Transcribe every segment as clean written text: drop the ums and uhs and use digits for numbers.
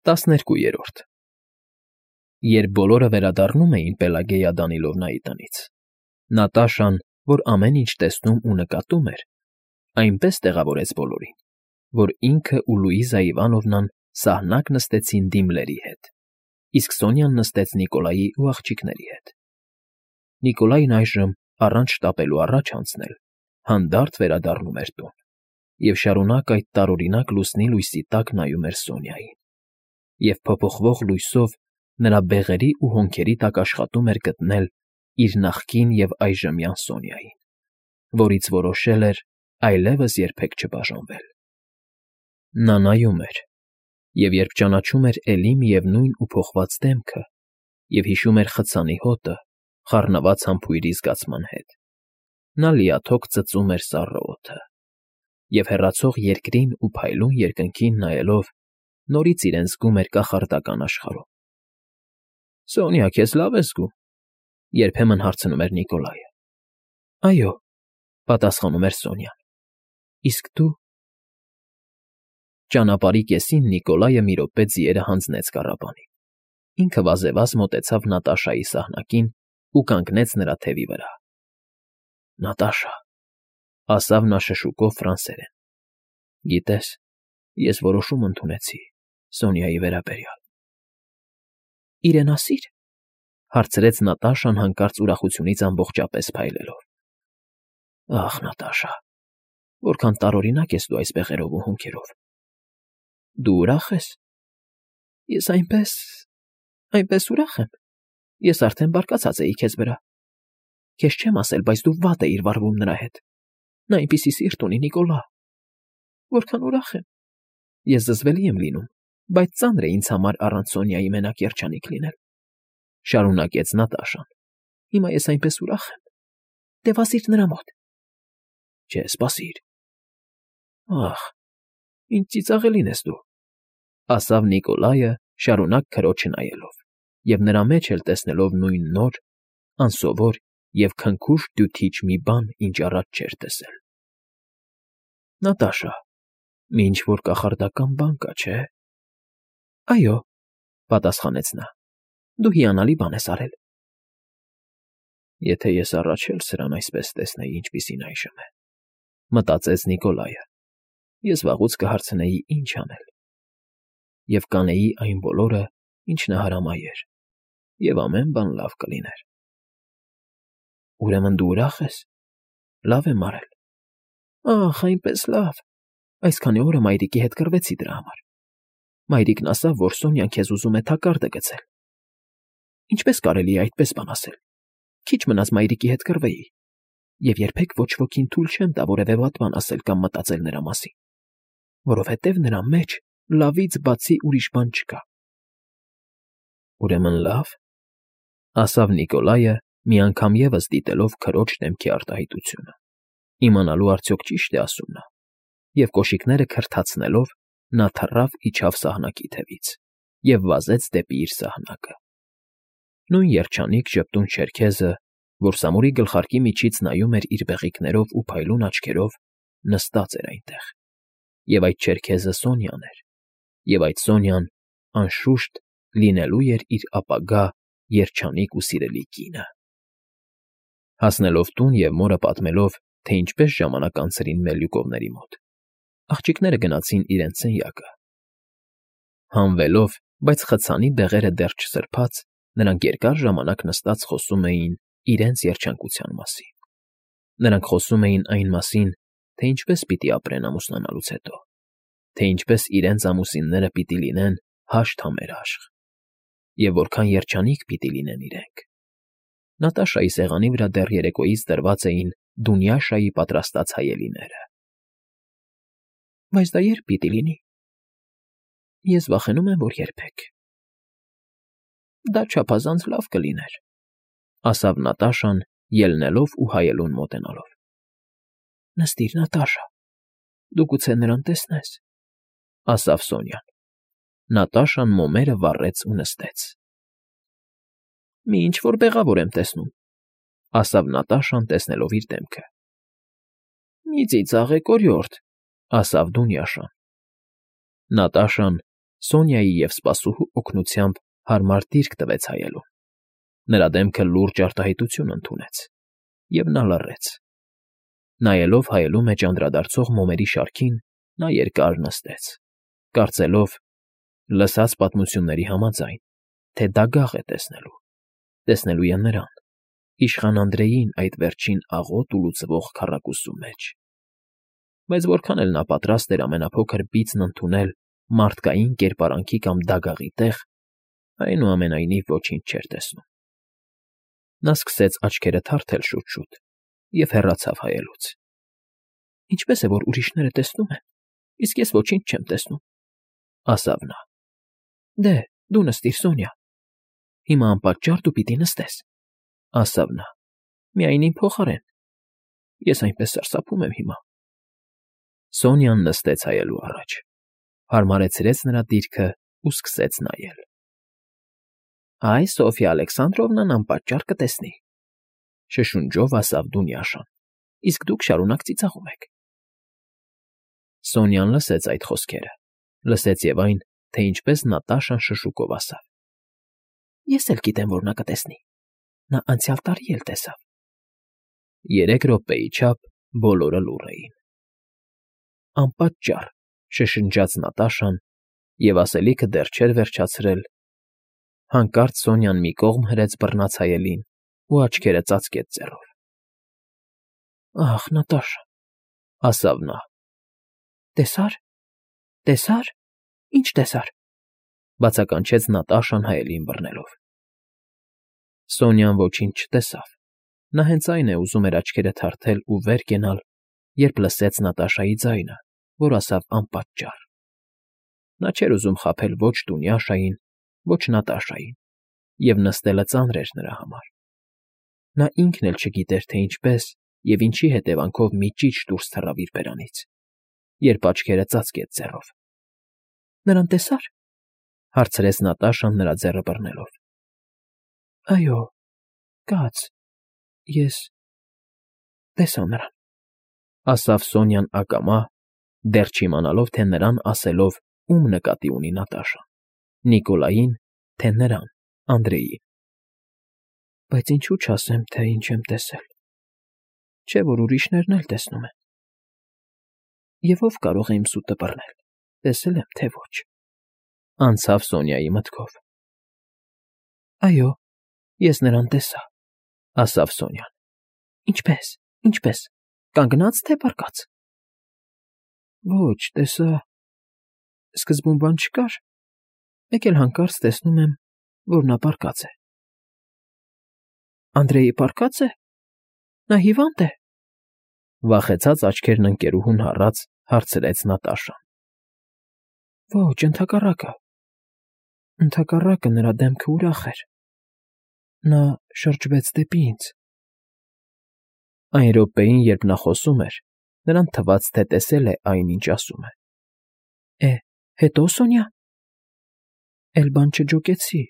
12 Երբ բոլորը վերադառնում էին Պելագեյա Դանիլովնայի տնից, Նատաշան, որ ամեն ինչ տեսնում ու նկատում էր, այնպես տեղավորեց բոլորին, որ ինքը ու Լուիզա Իվանովնան սահնակ նստեցին դիմլերի հետ, իսկ Սոնյան նստեց Նիկոլայի ու աղջիկների հետ։ Նիկոլայն այժմ, առանց շտապելու առաջ անցնել, հանդարտ վերադառնում էր տուն և շարունակ այդ տարօրինակ լուսնի լույսի տակ նայում էր Սոնյային, և փոփոխվող լույսով նրա բեղերի ու հոնքերի տակ աշխատում էր գտնել իր նախկին և այժմյան Սոնյային, որից որոշել էր այլևս երբեք չբաժանվել։ Նա նայում էր, և երբ ճանաչում էր էլի միևնույն ու փոխված դեմքը և հիշում էր խցանի հոտը, խառնված համբույրի զգացման հետ, նա լիաթոք ծծում էր սառը օդը և հեռացող երկրին ու փայլուն երկնքին նայելով նորից իրեն զգում էր կախարդական աշխարհում։ ֊ Սոնյա, քեզ լավ ես զգում,֊ երբեմն հարցնում էր Նիկոլայը։ ֊ Այո,֊ պատասխանում էր Սոնյան,֊ իսկ դու… Ճանապարհի կեսին Նիկոլայը մի րոպե ձիերը հանձնեց կառապանին, ինքը վազևազ մոտեցավ Նատաշայի սահնակին ու կանգնեց նրա թևի վրա։ ֊ Նատաշա,֊ ասավ նա շշուկով ֆրանսերեն,֊ գիտես, ես որոշում ընդունեցի Սոնյայի վերաբերյալ։ ֊ Իրեն ասի՞ր,֊ հարցրեց Նատաշան հանկարծ ուրախությունից ամբողջապես փայլելով։ ֊ Ախ, Նատաշա, որքան տարօրինակ ես դու այս բեղերով ու հոնքերով… Դու ուրախ ես։ ֊ Ես այնպես ուրախ եմ… Ես արդեն բարկացած էի քեզ վրա… Քեզ չեմ ասել, բայց դու վատ էիր վարվում նրա հետ… Նա այնպիսի սիրտ ունի, Նիկոլա… Որքան ուրախ եմ… Ես զզվելի եմ լինում, բայց ծանր է ինձ համար առանց Սոնյայի մենակ երջանիկ լինել,֊ շարունակեց Նատաշան։֊ Հիմա ես այնպես ուրախ եմ… Դե վազիր նրա մոտ… Չէ, սպասիր… Ախ, ինչ ծիծաղելին ես դու…֊ ասավ Նիկոլայը, շարունակ քրոջը նայելով և նրա մեջ էլ տեսնելով նույն նոր, անսովոր և քնքուշ֊դյութիչ մի բան, ինչ առաջ չէր տեսել։ ֊ Նատաշա, մի ինչ֊որ կախարդական բան կա, չէ՞… ֊ Այո,֊ պատասխանեց նա,֊ դու հիանալի բան ես արել։ ֊ Եթե ես առաջ էլ սրան այսպես տեսնեի, ինչպիսին այժմ է,֊ մտածեց Նիկոլայը,֊ ես վաղուց կհարցնեի ինչ անել… Եվ կանեի այն բոլորը, ինչ նա հրամայեր, և ամեն բան լավ կլիներ… Ուրեմն դու ուրախ ես… Լավ եմ արել… Ախ, այնպես լավ… Այսքանի օրը մայրիկի հետ կռվեցի դրա համար… Մայրիկն ասավ, որ Սոնյան քեզ ուզում է թակարդը գցել… Ինչպե՞ս կարելի է այդպես բան ասել… Քիչ մնաց մայրիկի հետ կռվեի… Եվ երբեք ոչ ոքին թույլ չեմ տա որևէ վատ բան ասել կամ մտածել նրա մասին… Որովհետև նրա մեջ լավից բացի ուրիշ բան չկա… ֊ Ուրեմն լավ…֊ ասավ Նիկոլայը, մի անգամ ևս դիտելով քրոջ դեմքի արտահայտությունը, իմանալու արդյոք ճի՞շտ է ասում նա, և կոշիկները քրթացնելով նա թռավ֊իջավ սահնակի թևից և վազեց դեպի իր սահնակը… Նույն երջանիկ ժպտուն չերքեզը, որ Սամուրի գլխարկի միջից նայում էր իր բեղիկներով ու փայլուն աչքերով, նստած էր այնտեղ, և այդ չերքեզը Սոնյան էր, և այդ Սոնյան, անշուշտ, լինելու էր իր ապագա երջանիկ ու սիրելի կինը… Հասնելով տուն և մորը պատմելով, թե ինչպես ժամանակ անցրին Մելյուկովների մոտ, աղջիկները գնացին իրենց սենյակը… Հանվելով, բայց խցանի բեղերը դեռ չսրբած, նրանք երկար ժամանակ նստած խոսում էին իրենց երջանկության մասին… Նրանք խոսում էին այն մասին, թե ինչպես պիտի ապրեն ամուսնանալուց հետո, թե ինչպես իրենց ամուսինները պիտի լինեն հաշտ համերաշխ, և որքան երջանիկ պիտի լինեն իրենք… Նատաշայի սեղանի վրա դեռ երեկոյից դրված էին Դունյաշայի պատրաստած հայելիները։ ֊ Բայց դա ե՞րբ պիտի լինի։ ֊ Ես վախենում եմ, որ երբեք… ֊ Դա չափազանց լավ կլիներ,֊ ասավ Նատաշան, ելնելով ու հայելուն մոտենալով։ ֊ Նստիր, Նատաշա, դու գուցե նրան տեսնես,֊ ասավ Սոնյան։ Նատաշան մոմերը վառեց ու նստեց։ ֊ Մի ինչ֊որ բեղավոր եմ տեսնում,֊ ասավ Նատաշան, տեսնելով իր դեմքը։ ֊ Մի ծիծաղեք, օրիորդ,֊ ասավ Դունյաշան։ Նատաշան, Սոնյայի և սպասուհու օգնությամբ հարմար դիրք տվեց հայելուն։ Նրա դեմքը լուրջ արտահայտություն ընդունեց, և նա լռեց։ Նայելով հայելու մեջ անդրադարձող մոմերի շարքին, նա երկար նստեց, կարծելով, լսած պատմությունների համաձայն, թե դագաղ է տեսնելու է նրան, իշխան Անդրեյին այդ վերջին աղոտ ու լուծվող քառակուսու մեջ։ Բայց որքան էլ նա պատրաստ էր ամենափոքր բիծն ընդունել մարդկային կերպարանքի կամ դագաղի տեղ, այնուամենայնիվ ոչինչ չէր տեսնում։ Նա սկսեց աչքերը թարթել շուտ-շուտ և հեռացավ հայելուց։ Ինչպես է, որ ուրիշները տեսնում են, իսկ ես ոչինչ չեմ տեսնում, ասավ նա։ Դե, դու նստիր, Սոնյա։ Հիմա անպատճառ դու պիտի նստես, ասավ նա, միայն իմ փոխարեն։ Ես այնպես սարսափում եմ հիմա։ Սոնյան նստեց հայելու առաջ, հարմարեցրեց նրա դիրքը ու սկսեց նայել։ Այ Սոֆյա Ալեքսանդրովնան անպատճառ կտեսնի, շշունջով ասավ Դունյաշան, իսկ դուք շարունակ ծիծաղում եք։ Սոնյան լսեց այդ խոսքերը, լսեց և այն, թե ինչպես Նատաշան շշուկով ասավ. Ես էլ գիտեմ, որ նա կտեսնի։ Նա անցյալ տարի էլ տեսավ։ 3 րոպեի չափ բոլորը լուռ էին։ Անպատճառ, շշնջաց Նատաշան և ասելիքը դեռ չէր վերջացրել, հանկարծ Սոնյան մի կողմ հրեց բռնած հայելին ու աչքերը ծածկեց ձեռով։ Ախ, Նատաշա, ասավ նա։ Տեսա՞ր։ Ինչ տեսար, բացականչեց Նատաշան հայելին բռնելով։ Սոնյան ոչինչ չտեսավ։ Նա հենց այն է ուզում էր աչքերը թարթել ու վեր կենալ, երբ լսեց Նատաշայի ձայնը, որ ասավ անպատճառ։ Նա չէր ուզում խաբել ոչ Դունյաշային, ոչ Նատաշային, և նստելը ծանր էր նրա համար։ Նա ինքն էլ չգիտեր, թե ինչպես և ինչի հետևանքով մի ճիչ դուրս թռավ իր բերանից, երբ աչքերը ծածկեց ձեռով։ Նրան տեսա՞ր, հարցրեց Նատաշան նրա ձեռը բռնելով։ Այո, կաց, ես տեսա նրան, ասավ Սոնյան ակամա, դեռ չիմանալով, թե նրան ասելով ում նկատի ունի Նատաշան՝ Նիկոլային, թե նրան՝ Անդրեյին։ Բայց ինչու չասեմ, թե ինչ եմ տեսել, չէ՞ որ ուրիշներն էլ տեսնում են։ Եվ ով կարող է իմ սուտը բռնել, տեսել եմ, թե ոչ, անցավ Սոնյայի մտքով։ Այո, ես նրան տեսա, ասավ Սոնյան։ Ինչպես, կանգնա՞ծ, թե պառկած։ Ոչ, տեսա, սկզբում բան չկար, մեկ էլ հանկարծ տեսնում եմ, որ նա պառկած է։ Անդրեյը պառկած է։ Նա հիվա՞նդ է։ Վախեցած աչքերն ընկերուհուն հառած հարցրեց Նատաշան։ Ոչ, ընդհակառակը նրա դեմքը ուրախ էր։ Նա շրջվեց դեպի ինձ։ Այն րոպեին, երբ նա խոսում էր, նրան թվաց, թե տեսել է այն, ինչ ասում է։ Հետո, Սոնյա։ Էլ բան չջոկեցի։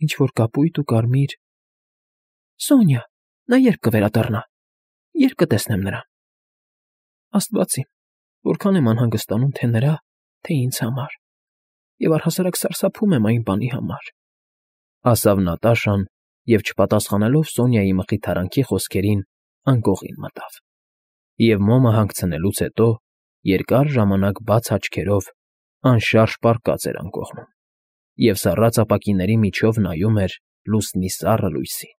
Ինչ֊որ կապույտ ու կարմիր։ Սոնյա, նա երբ կվերադառնա, երբ կտեսնեմ նրան։ Աստված իմ, որքան եմ անհանգստանում թե նրա, թե ինձ համար, և առհասարակ սարսափում եմ այն բանի համար, ասավ Նատաշան և, չպատասխանելով Սոնյայի մխիթարանքի խոսքերին, անկողին մտավ, և մոմը հանգցնելուց հետո երկար ժամանակ բաց աչքերով անշարժ պառկած էր անկողնում և սառած ապակիների միջով նայում էր լուսնի սառը լույսին։